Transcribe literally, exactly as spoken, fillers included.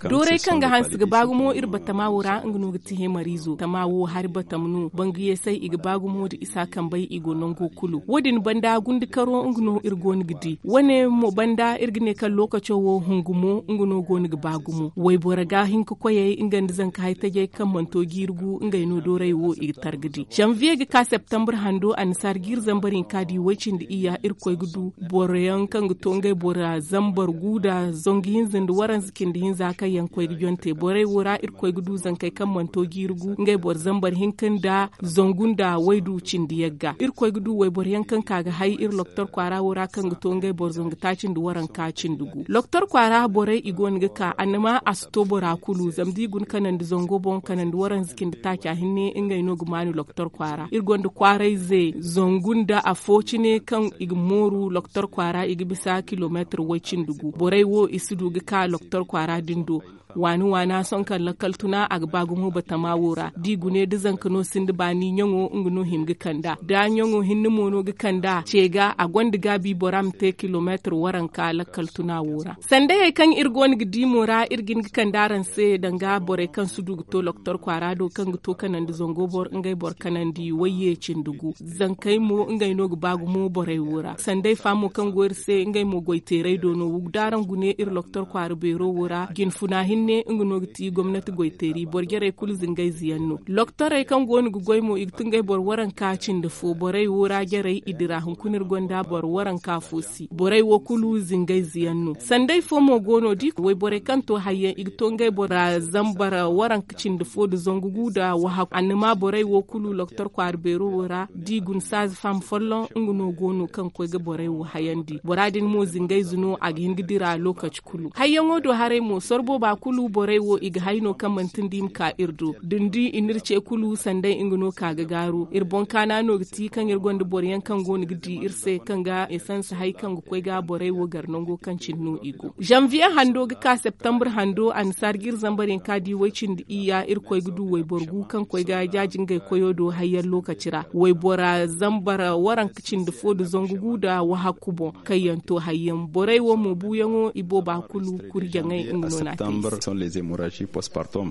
Dooray kaŋ ga hanse ga ba gumo iri batama wo ra nga no ga ti hemariizo tama wo hari batam no bangu yeesay i ga ba gumo nda isa kambey i go nango kulu wo- din banda gundi karo nga no iri go no ga di wane mo banda iri ga ne kaŋ lookaco wo hungu mo nga no go no ga ba gumo wayboro ga hin ka koyey nga nda zanka hay tajey kaŋ mana to jiiri gu ngey no dooray wo i ga tar ga di zanviye ga ka septembre hando annasaara jiiri zambar hinka di way-cindi iyya irkoy ga du boro yaŋ kaŋ ga to ngey bora zambar gu nda zangu hinza nda waranza cindi hinza kaŋ yaŋ koy ga jonte borey wo ra irkoy ga du zankey kaŋ mana to jiiri gu ngey boro zambar hinka nda zangu nda waydu cindi yagga irkoy ga du wayboro yaŋ kaŋ ka ga hay iri loktor kwaara wo ra kaŋ ga to ngey boro zangu taaci nda waranka cindi gu loktor kwaara borey i go no ga ka annama a si to bora kulu zama da i guna kanandi zango boŋ kanandi waranza cindi taaca hinne ngey no ga maanu loktor kwaara iri gonda kwaarayze zangu nda afo cine kaŋ i ga mooru loktor kwaara i ga bisa kilomeetir way-cindi gu borey wo i si du ga ka loktor kwaara din do waani waana sohõ kaŋ lakkal tuna a ga ba gumo batama wo ra da i gune da zanka no sinda baani ɲaŋo nga no hima ga kand'a da ɲaŋo hinne mo no ga kand'a ce ga a gonda gaabi bora ma te kilomeetir waranka lakkal tuna wo ra sandayey kaŋ iri go no ga di mo ra iri ga hin ga kande araŋ se danga borey kaŋ si du ga to loktor kwaara do kaŋ ga to kanandi zango boro ngey boro kanandi wayye cindi gu zankey mo ngey no ga ba gumo borey wo ra sanday fa mo kaŋ go iri se ngey mo goy teeray do no da araŋ gune iri loktor kwaara beero wo ra jinfuna hinne nga no ga ti gomnati goy teeri boro jarey kulu zingayze yaŋ no loktorey kaŋ go no ga goy mo i ga tun ngey boro waranka cindi fo borey wo ra jarey i dira hunkuna iri gonda boro waranka fo si borey wo kulu zingayze yaŋ no sanday fo mo go no da i ka wayborey kaŋ to hayyaŋ i ga to ngey bora zambar waranka cindi fo nda zangu gu nda wahakku annama borey wo kulu loktor kwaara beero wo ra da i guna saaza faham folloŋ nga no go no kaŋ ga koy ga borey wo hayandi bora din mo zingayze no a ga hin ga dira lookaci kulu hayyaŋo do haray mo soro booba kulu borey wo i ga hay no kaŋ manti nda i ma ka iri do da ni di i n'iri ce kulu sanday nga no ka ga gaaru iri boŋ kaana no ga ti kaŋ iri gonda boro yaŋ kaŋ go no ga di iri se kaŋ ga esans hay kaŋ ga koy ga borey wo gar nango kaŋ cine no i go zanviye hando ga ka septembre hando annasaara jiiri zambar yaŋ ka di way-cindi iyya irkoy ga du wayboro gu kaŋ koy ga jaaji ngey koyo do hayyaŋ lookaci ra waybora zambar waranka cindi fo nda zangu gu nda wahakku boŋ kaŋ yaŋ to hayyaŋ borey wo mo buuyaŋo i booba kulu kuri jaŋay nga no n'a te i se